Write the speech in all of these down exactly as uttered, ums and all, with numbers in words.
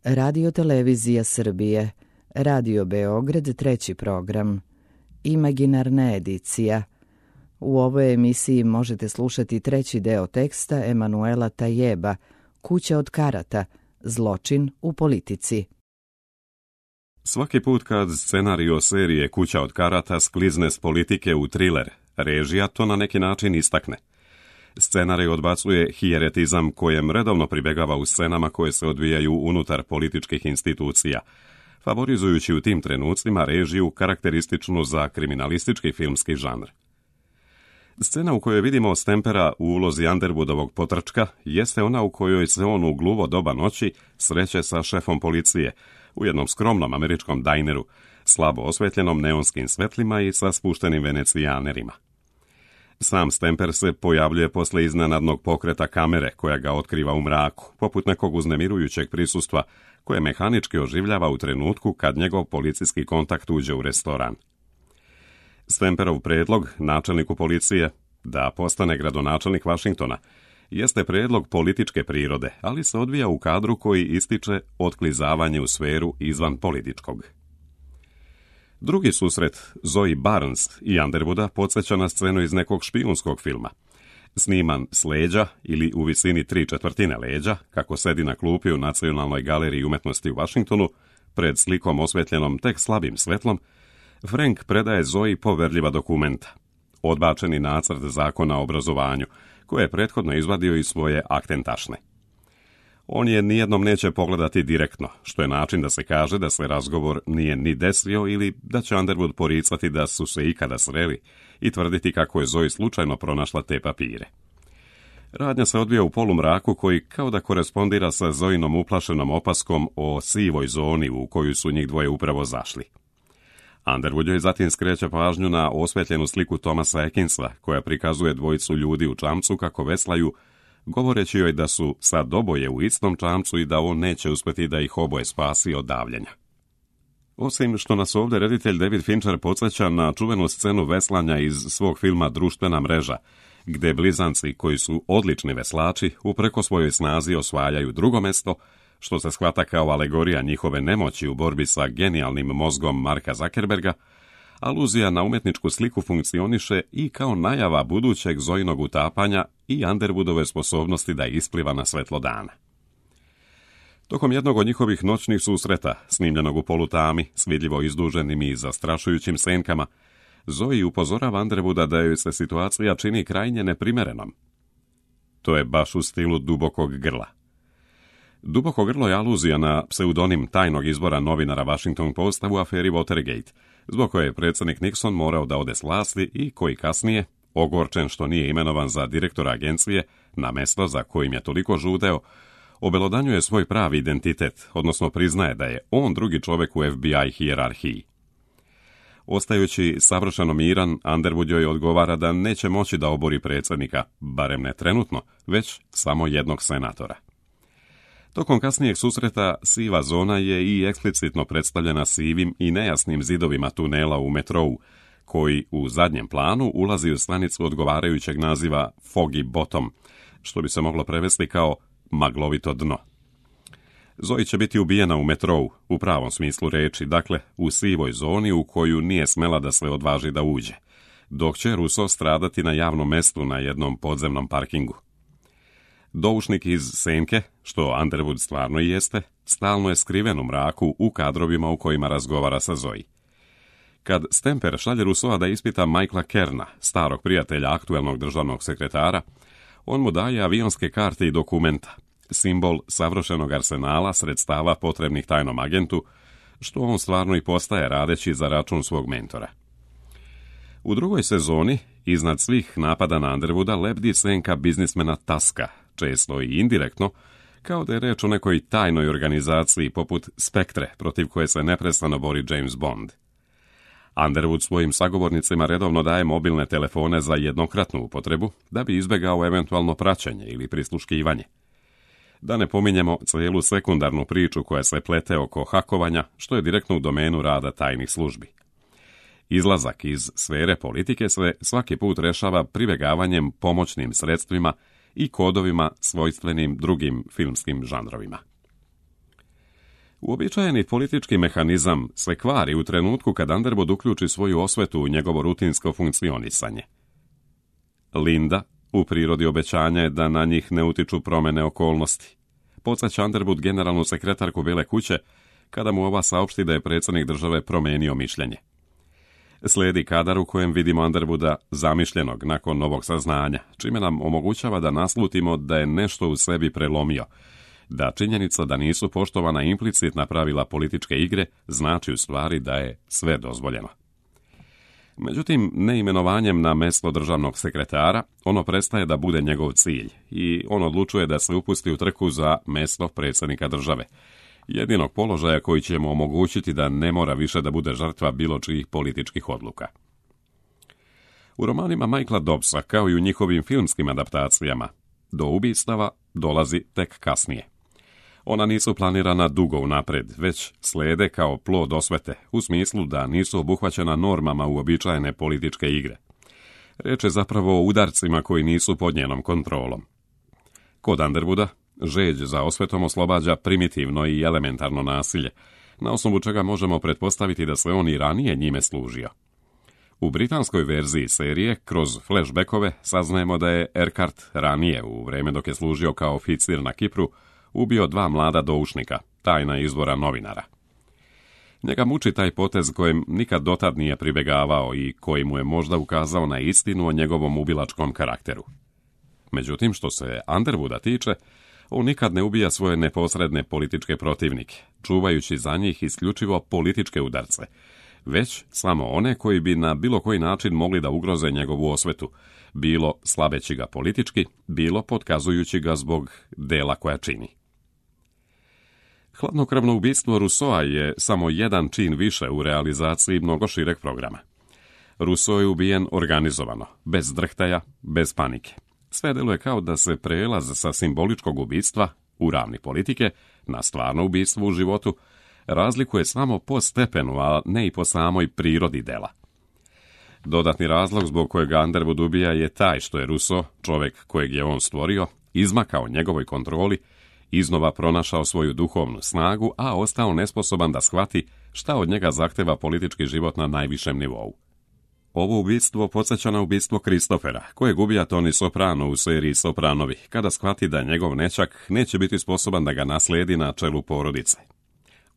Radio-televizija Srbije, Radio Beograd, treći program, Imaginarna edicija. U ovoj emisiji možete slušati treći deo teksta Emanuela Tajeba, Kuća od karata, zločin u politici. Svaki put kad scenario serije Kuća od karata sklizne s politike u triler, režija to na neki način istakne. Scenarij odbacuje hijeretizam kojem redovno pribegava u scenama koje se odvijaju unutar političkih institucija, favorizujući u tim trenucima režiju karakterističnu za kriminalistički filmski žanr. Scena u kojoj vidimo Stempera u ulozi Underwoodovog potrčka jeste ona u kojoj se on u gluvo doba noći sreće sa šefom policije u jednom skromnom američkom dajneru, slabo osvetljenom neonskim svetlima i sa spuštenim venecijanerima. Sam Stemper se pojavljuje posle iznenadnog pokreta kamere koja ga otkriva u mraku, poput nekog uznemirujućeg prisustva koje mehanički oživljava u trenutku kad njegov policijski kontakt uđe u restoran. Stemperov predlog načelniku policije da postane gradonačelnik Vašingtona jeste predlog političke prirode, ali se odvija u kadru koji ističe otklizavanje u sferu izvan političkog. Drugi susret Zoe Barnes i Underwooda podsjeća na scenu iz nekog špijunskog filma. Sniman s leđa ili u visini tri četvrtine leđa, kako sedi na klupi u Nacionalnoj galeriji umetnosti u Vašingtonu, pred slikom osvetljenom tek slabim svetlom, Frank predaje Zoe poverljiva dokumenta, odbačeni nacrt zakona o obrazovanju, koje je prethodno izvadio iz svoje aktentašne. On je nijednom neće pogledati direktno, što je način da se kaže da se razgovor nije ni desio ili da će Underwood poricati da su se ikada sreli i tvrditi kako je Zoe slučajno pronašla te papire. Radnja se odvija u polumraku koji kao da korespondira sa Zoinom uplašenom opaskom o sivoj zoni u koju su njih dvoje upravo zašli. Underwood joj zatim skreće pažnju na osvetljenu sliku Thomasa Atkinsa, koja prikazuje dvojicu ljudi u čamcu kako veslaju, govoreći joj da su sad oboje u istom čamcu i da on neće uspjeti da ih oboje spasi od davljenja. Osim što nas ovdje reditelj David Fincher podsjeća na čuvenu scenu veslanja iz svog filma Društvena mreža, gde blizanci koji su odlični veslači upreko svojoj snazi osvajaju drugo mesto, što se shvata kao alegorija njihove nemoći u borbi sa genijalnim mozgom Marka Zuckerberga, aluzija na umetničku sliku funkcioniše i kao najava budućeg Zoinog utapanja i Underwoodove sposobnosti da ispliva na svetlo dana. Tokom jednog od njihovih noćnih susreta, snimljenog u polutami, s vidljivo izduženim i zastrašujućim senkama, Zoe upozorava Underwooda da joj se situacija čini krajnje neprimerenom. To je baš u stilu Dubokog grla. Duboko grlo je aluzija na pseudonim tajnog izbora novinara Washington Posta u aferi Watergate, zbog koje je predsjednik Nixon morao da ode s vlasti i koji kasnije, ogorčen što nije imenovan za direktora agencije na mesto za kojim je toliko žudeo, obelodanjuje svoj pravi identitet, odnosno priznaje da je on drugi čovjek u F B I hijerarhiji. Ostajući savršeno miran, Underwood joj odgovara da neće moći da obori predsjednika, barem ne trenutno, već samo jednog senatora. Tokom kasnijeg susreta siva zona je i eksplicitno predstavljena sivim i nejasnim zidovima tunela u metrou, koji u zadnjem planu ulazi u stanicu odgovarajućeg naziva Foggy Bottom, što bi se moglo prevesti kao maglovito dno. Zoe će biti ubijena u metrou, u pravom smislu reči, dakle u sivoj zoni u koju nije smela da se odvaži da uđe, dok će Russo stradati na javnom mestu na jednom podzemnom parkingu. Doušnik iz senke, što Underwood stvarno i jeste, stalno je skriven u mraku u kadrovima u kojima razgovara sa Zoe. Kad Stemper šalje Russoa da ispita Michaela Kerna, starog prijatelja aktuelnog državnog sekretara, on mu daje avionske karte i dokumenta, simbol savršenog arsenala sredstava potrebnih tajnom agentu, što on stvarno i postaje radeći za račun svog mentora. U drugoj sezoni, iznad svih napada na Underwooda, lebdi senka biznismena Tuska, često i indirektno, kao da je reč o nekoj tajnoj organizaciji poput Spektre, protiv koje se neprestano bori James Bond. Underwood svojim sagovornicima redovno daje mobilne telefone za jednokratnu upotrebu, da bi izbjegao eventualno praćenje ili prisluškivanje. Da ne pominjemo cijelu sekundarnu priču koja se plete oko hakovanja, što je direktno u domenu rada tajnih službi. Izlazak iz sfere politike se svaki put rešava pribjegavanjem pomoćnim sredstvima i kodovima svojstvenim drugim filmskim žanrovima. Uobičajeni politički mehanizam se kvari u trenutku kad Underwood uključi svoju osvetu u njegovo rutinsko funkcionisanje. Linda u prirodi obećanja je da na njih ne utiču promjene okolnosti. Podsjeća Underwood generalnu sekretarku Bijele kuće kada mu ova saopšti da je predsjednik države promijenio mišljenje. Slijedi kadar u kojem vidimo Underwooda zamišljenog nakon novog saznanja, čime nam omogućava da naslutimo da je nešto u sebi prelomio, da činjenica da nisu poštovana implicitna pravila političke igre znači u stvari da je sve dozvoljeno. Međutim, neimenovanjem na mjesto državnog sekretara, ono prestaje da bude njegov cilj i on odlučuje da se upusti u trku za mjesto predsjednika države, jedinog položaja koji će mu omogućiti da ne mora više da bude žrtva bilo čijih političkih odluka. U romanima Michaela Dobbsa, kao i u njihovim filmskim adaptacijama, do ubistava dolazi tek kasnije. Ona nisu planirana dugo unapred, već slijede kao plod osvete, u smislu da nisu obuhvaćena normama uobičajene političke igre. Riječ je zapravo o udarcima koji nisu pod njenom kontrolom. Kod Underwooda žeđ za osvetom oslobađa primitivno i elementarno nasilje, na osnovu čega možemo pretpostaviti da se on i ranije njime služio. U britanskoj verziji serije, kroz flashbackove, saznajemo da je Urquhart ranije, u vrijeme dok je služio kao oficir na Kipru, ubio dva mlada doušnika, tajna izvora novinara. Njega muči taj potez kojem nikad dotad nije pribjegavao i koji mu je možda ukazao na istinu o njegovom ubilačkom karakteru. Međutim, što se Underwooda tiče, on nikad ne ubija svoje neposredne političke protivnike, čuvajući za njih isključivo političke udarce, već samo one koji bi na bilo koji način mogli da ugroze njegovu osvetu, bilo slabeći ga politički, bilo potkazujući ga zbog dela koja čini. Hladnokrvno ubistvo Rousseaua je samo jedan čin više u realizaciji mnogo šireg programa. Rousseau je ubijen organizovano, bez drhtaja, bez panike. Sve deluje kao da se prelaz sa simboličkog ubistva u ravni politike na stvarno ubistvo u životu razlikuje samo po stepenu, a ne i po samoj prirodi dela. Dodatni razlog zbog kojeg Underwood ubija je taj što je Rousseau, čovjek kojeg je on stvorio, izmakao njegovoj kontroli, iznova pronašao svoju duhovnu snagu, a ostao nesposoban da shvati šta od njega zahteva politički život na najvišem nivou. Ovo ubistvo podsjeća na ubistvo Christophera, kojeg ubija Tony Soprano u seriji Sopranovi, kada shvati da njegov nećak neće biti sposoban da ga naslijedi na čelu porodice.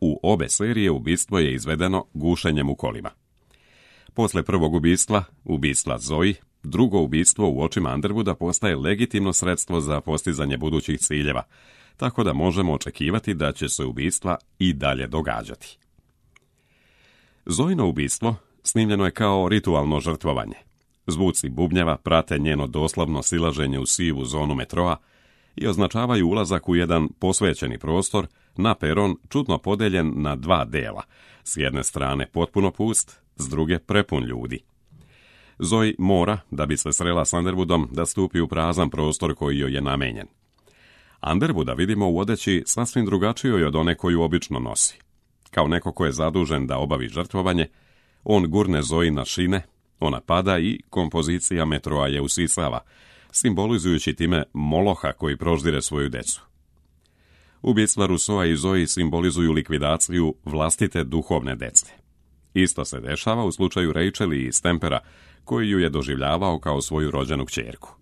U obe serije ubistvo je izvedeno gušenjem u kolima. Posle prvog ubistva, ubistva Zoe, drugo ubistvo u očima Underwooda postaje legitimno sredstvo za postizanje budućih ciljeva, tako da možemo očekivati da će se ubistva i dalje događati. Zoino ubistvo snimljeno je kao ritualno žrtvovanje. Zvuci bubnjeva prate njeno doslovno silaženje u sivu zonu metroa i označavaju ulazak u jedan posvećeni prostor na peron čudno podeljen na dva dela, s jedne strane potpuno pust, s druge prepun ljudi. Zoe mora, da bi se srela s Underwoodom, da stupi u prazan prostor koji joj je namenjen. Underwooda vidimo u odeći sasvim drugačijoj od one koju obično nosi. Kao neko ko je zadužen da obavi žrtvovanje, on gurne Zoe na šine, ona pada i kompozicija metroa je usisava, simbolizujući time Moloha koji proždire svoju decu. Ubistva Rousseaua i Zoe simbolizuju likvidaciju vlastite duhovne dece. Isto se dešava u slučaju Rachel i Stempera, koji ju je doživljavao kao svoju rođenu kćerku.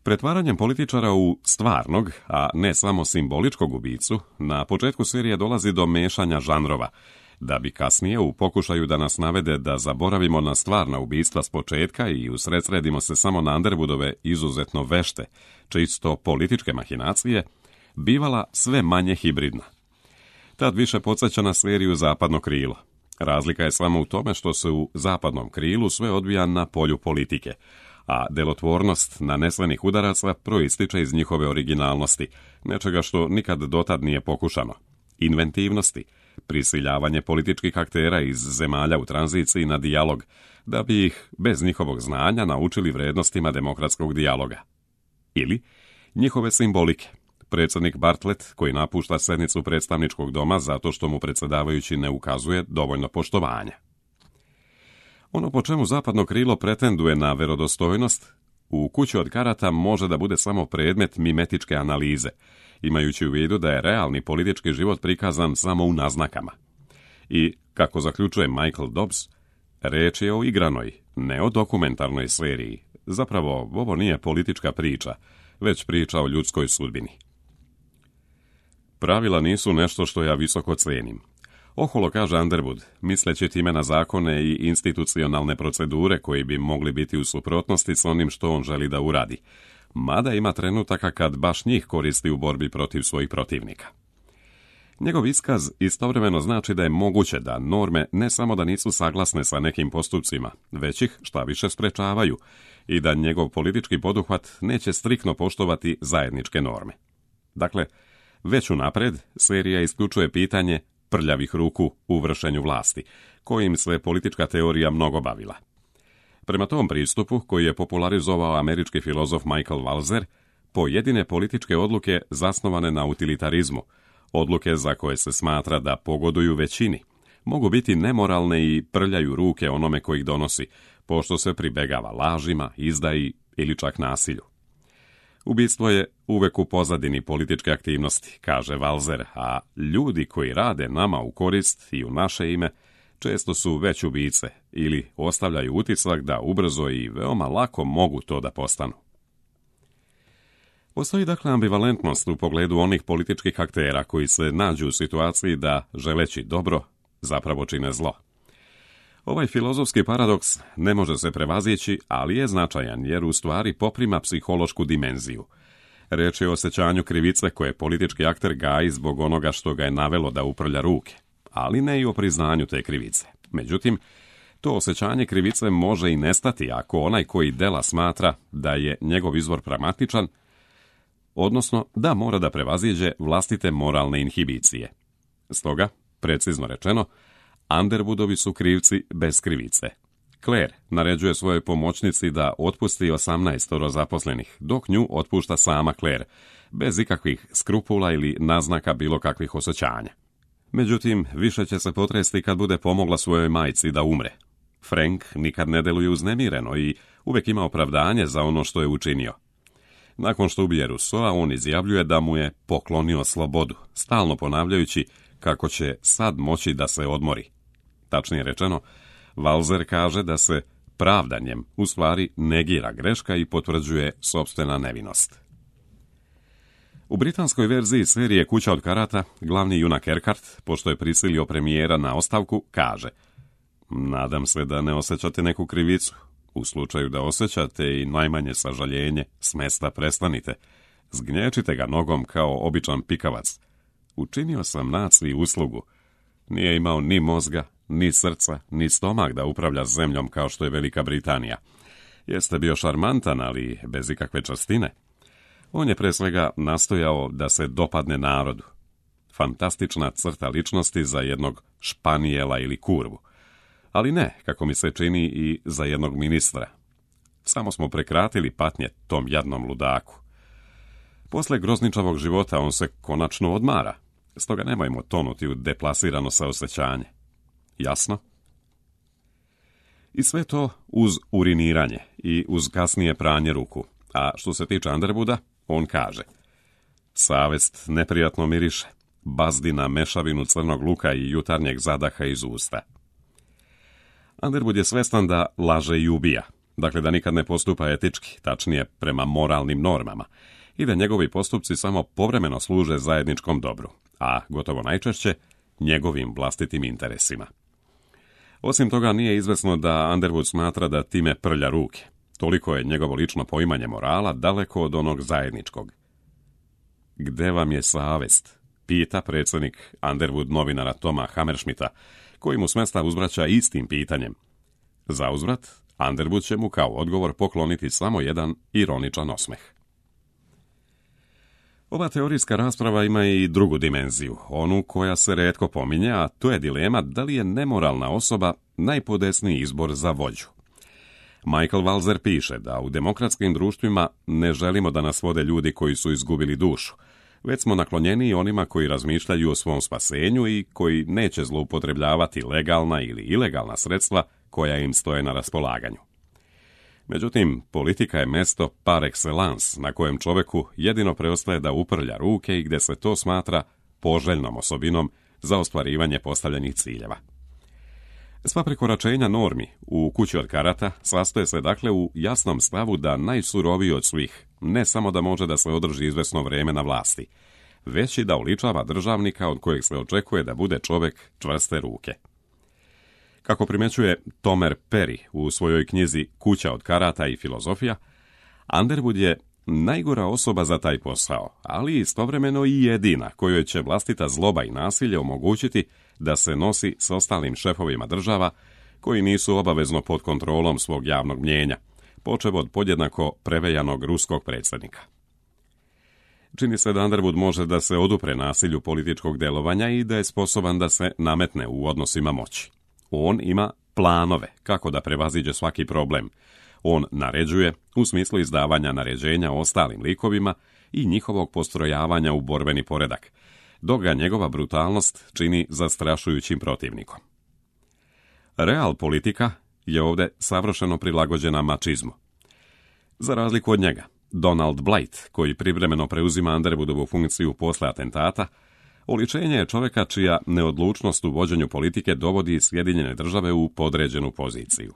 Pretvaranjem političara u stvarnog, a ne samo simboličkog ubicu, na početku serije dolazi do mešanja žanrova, da bi kasnije u pokušaju da nas navede da zaboravimo na stvarna ubistva s početka i usredsredimo se samo na Underwoodove izuzetno vešte, čisto političke mahinacije, bivala sve manje hibridna. Tad više podsjeća na seriju Zapadno krilo. Razlika je samo u tome što se u Zapadnom krilu sve odvija na polju politike, a delotvornost nanesenih udaraca proističe iz njihove originalnosti, nečega što nikad dotad nije pokušano, inventivnosti, prisiljavanje političkih aktera iz zemalja u tranziciji na dijalog, da bi ih, bez njihovog znanja, naučili vrednostima demokratskog dijaloga. Ili njihove simbolike. Predsjednik Bartlett, koji napušta sednicu predstavničkog doma zato što mu predsjedavajući ne ukazuje dovoljno poštovanja. Ono po čemu Zapadno krilo pretenduje na verodostojnost, u Kući od karata može da bude samo predmet mimetičke analize, imajući u vidu da je realni politički život prikazan samo u naznakama. I, kako zaključuje Michael Dobbs, reč je o igranoj, ne o dokumentarnoj seriji. Zapravo, ovo nije politička priča, već priča o ljudskoj sudbini. Pravila nisu nešto što ja visoko cenim. Oholo kaže Underwood, misleći time na zakone i institucionalne procedure koji bi mogli biti u suprotnosti s onim što on želi da uradi, mada ima trenutaka kad baš njih koristi u borbi protiv svojih protivnika. Njegov iskaz istovremeno znači da je moguće da norme ne samo da nisu saglasne sa nekim postupcima, već ih šta više sprečavaju i da njegov politički poduhvat neće striktno poštovati zajedničke norme. Dakle, već unapred serija isključuje pitanje prljavih ruku u vršenju vlasti, kojim se politička teorija mnogo bavila. Prema tom pristupu, koji je popularizovao američki filozof Michael Walzer, pojedine političke odluke zasnovane na utilitarizmu, odluke za koje se smatra da pogoduju većini, mogu biti nemoralne i prljaju ruke onome koji ih donosi, pošto se pribegava lažima, izdaji ili čak nasilju. Ubistvo je uvek u pozadini političke aktivnosti, kaže Walzer, a ljudi koji rade nama u korist i u naše ime često su već ubice ili ostavljaju utisak da ubrzo i veoma lako mogu to da postanu. Postoji dakle ambivalentnost u pogledu onih političkih aktera koji se nađu u situaciji da, želeći dobro, zapravo čine zlo. Ovaj filozofski paradoks ne može se prevazići, ali je značajan jer u stvari poprima psihološku dimenziju. Reč je o osjećanju krivice koje politički akter gaji zbog onoga što ga je navelo da uprlja ruke, ali ne i o priznanju te krivice. Međutim, to osjećanje krivice može i nestati ako onaj koji dela smatra da je njegov izvor pragmatičan, odnosno da mora da prevaziđe vlastite moralne inhibicije. Stoga, precizno rečeno, Underwoodovi su krivci bez krivice. Claire naređuje svojoj pomoćnici da otpusti osamnaestoro zaposlenih, dok nju otpušta sama Claire, bez ikakvih skrupula ili naznaka bilo kakvih osjećanja. Međutim, više će se potresti kad bude pomogla svojoj majci da umre. Frank nikad ne deluje uznemireno i uvek ima opravdanje za ono što je učinio. Nakon što ubije Rousseaua, on izjavljuje da mu je poklonio slobodu, stalno ponavljajući kako će sad moći da se odmori. Tačnije rečeno, Walzer kaže da se pravdanjem u stvari negira greška i potvrđuje sopstvena nevinost. U britanskoj verziji serije Kuća od karata, glavni junak Urquhart, pošto je prisilio premijera na ostavku, kaže: nadam se da ne osjećate neku krivicu. U slučaju da osjećate i najmanje sažaljenje, s mesta prestanite. Zgnječite ga nogom kao običan pikavac. Učinio sam naciji uslugu. Nije imao ni mozga, ni srca, ni stomak da upravlja zemljom kao što je Velika Britanija. Jeste bio šarmantan, ali bez ikakve častine. On je pre svega nastojao da se dopadne narodu. Fantastična crta ličnosti za jednog španijela ili kurvu. Ali ne, kako mi se čini, i za jednog ministra. Samo smo prekratili patnje tom jadnom ludaku. Posle grozničavog života on se konačno odmara, stoga nemojmo tonuti u deplasirano saosećanje. Jasno? I sve to uz uriniranje i uz kasnije pranje ruku. A što se tiče Underwooda, on kaže: savest neprijatno miriše, bazdi na mešavinu crnog luka i jutarnjeg zadaha iz usta. Underwood je svestan da laže i ubija, dakle da nikad ne postupa etički, tačnije prema moralnim normama, i da njegovi postupci samo povremeno služe zajedničkom dobru, a gotovo najčešće njegovim vlastitim interesima. Osim toga, nije izvesno da Underwood smatra da time prlja ruke. Toliko je njegovo lično poimanje morala daleko od onog zajedničkog. Gde vam je savest? Pita predsjednik Underwood novinara Toma Hammerschmidta, koji mu s mesta uzvraća istim pitanjem. Za uzvrat, Underwood će mu kao odgovor pokloniti samo jedan ironičan osmeh. Ova teorijska rasprava ima i drugu dimenziju, onu koja se retko pominje, a to je dilema da li je nemoralna osoba najpodesniji izbor za vođu. Michael Walzer piše da u demokratskim društvima ne želimo da nas vode ljudi koji su izgubili dušu, već smo naklonjeni onima koji razmišljaju o svom spasenju i koji neće zloupotrebljavati legalna ili ilegalna sredstva koja im stoje na raspolaganju. Međutim, politika je mesto par excellence na kojem čoveku jedino preostaje da uprlja ruke i gdje se to smatra poželjnom osobinom za ostvarivanje postavljenih ciljeva. Sva prekoračenja normi u Kući od karata sastoje se dakle u jasnom stavu da najsuroviji od svih ne samo da može da se održi izvesno vrijeme na vlasti, već i da uličava državnika od kojeg se očekuje da bude čovjek čvrste ruke. Kako primjećuje Tomer Perry u svojoj knjizi Kuća od karata i filozofija, Underwood je najgora osoba za taj posao, ali istovremeno i jedina kojoj će vlastita zloba i nasilje omogućiti da se nosi s ostalim šefovima država koji nisu obavezno pod kontrolom svog javnog mnijenja, počev od podjednako prevejanog ruskog predsjednika. Čini se da Underwood može da se odupre nasilju političkog delovanja i da je sposoban da se nametne u odnosima moći. On ima planove kako da prevaziđe svaki problem. On naređuje u smislu izdavanja naređenja ostalim likovima i njihovog postrojavanja u borbeni poredak, dok ga njegova brutalnost čini zastrašujućim protivnikom. Real politika je ovdje savršeno prilagođena mačizmu. Za razliku od njega, Donald Blight, koji privremeno preuzima Underwoodovu funkciju posle atentata, oličenje je čovjeka čija neodlučnost u vođenju politike dovodi Sjedinjene države u podređenu poziciju.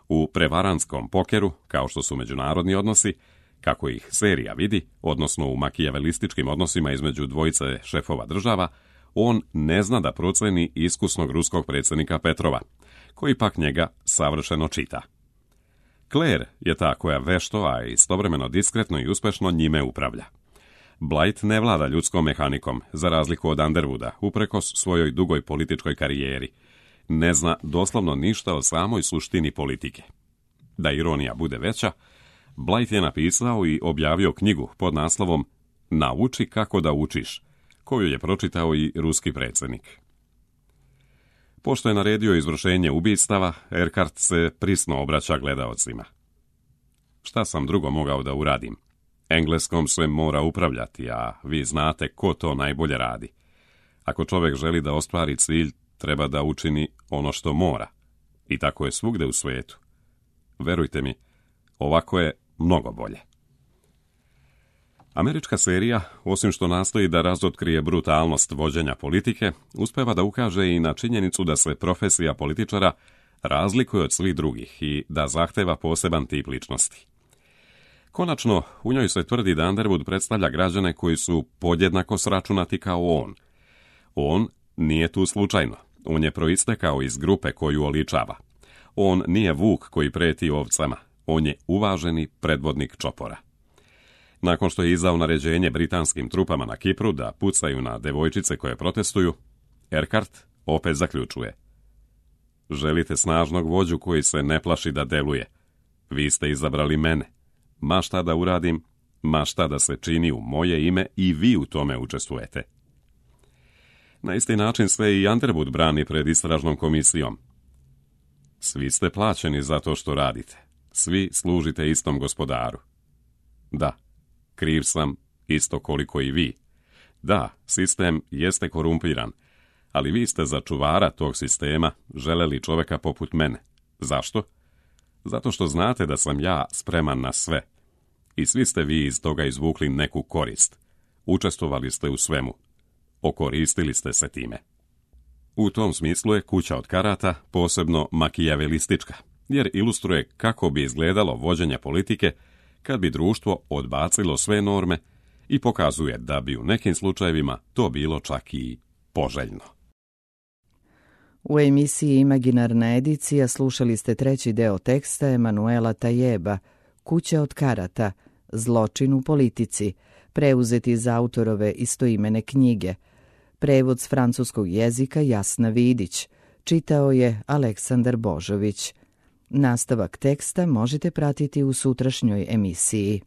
U prevaranskom pokeru, kao što su međunarodni odnosi, kako ih serija vidi, odnosno u makijavelističkim odnosima između dvojice šefova država, on ne zna da proceni iskusnog ruskog predsjednika Petrova, koji pak njega savršeno čita. Claire je ta koja vešto, a istovremeno diskretno i uspešno njime upravlja. Blight ne vlada ljudskom mehanikom, za razliku od Underwooda, uprkos svojoj dugoj političkoj karijeri. Ne zna doslovno ništa o samoj suštini politike. Da ironija bude veća, Blight je napisao i objavio knjigu pod naslovom Nauči kako da učiš, koju je pročitao i ruski predsjednik. Pošto je naredio izvršenje ubistava, Erkart se prisno obraća gledaocima. Šta sam drugo mogao da uradim? Engleskom se mora upravljati, a vi znate ko to najbolje radi. Ako čovjek želi da ostvari cilj, treba da učini ono što mora. I tako je svugde u svijetu. Verujte mi, ovako je mnogo bolje. Američka serija, osim što nastoji da razotkrije brutalnost vođenja politike, uspeva da ukaže i na činjenicu da se profesija političara razlikuje od svih drugih i da zahteva poseban tip ličnosti. Konačno, u njoj se tvrdi da Underwood predstavlja građane koji su podjednako sračunati kao on. On nije tu slučajno. On je proistekao iz grupe koju oličava. On nije vuk koji preti ovcama. On je uvaženi predvodnik čopora. Nakon što je izdao naređenje britanskim trupama na Kipru da pucaju na devojčice koje protestuju, Erkart opet zaključuje. Želite snažnog vođu koji se ne plaši da deluje. Vi ste izabrali mene. Ma šta da uradim, ma šta da se čini u moje ime i vi u tome učestvujete. Na isti način se i Underwood brani pred istražnom komisijom. Svi ste plaćeni za to što radite. Svi služite istom gospodaru. Da, kriv sam isto koliko i vi. Da, sistem jeste korumpiran, ali vi ste za čuvara tog sistema želeli čovjeka poput mene. Zašto? Zato što znate da sam ja spreman na sve. I svi ste vi iz toga izvukli neku korist. Učestvovali ste u svemu. Okoristili ste se time. U tom smislu je Kuća od karata posebno makijavelistička, jer ilustruje kako bi izgledalo vođenje politike kad bi društvo odbacilo sve norme i pokazuje da bi u nekim slučajevima to bilo čak i poželjno. U emisiji Imaginarna edicija slušali ste treći deo teksta Emanuela Tajeba, Kuća od karata, zločin u politici, preuzeti iz autorove istoimene knjige. Prevod s francuskog jezika Jasna Vidić, čitao je Aleksandar Božović. Nastavak teksta možete pratiti u sutrašnjoj emisiji.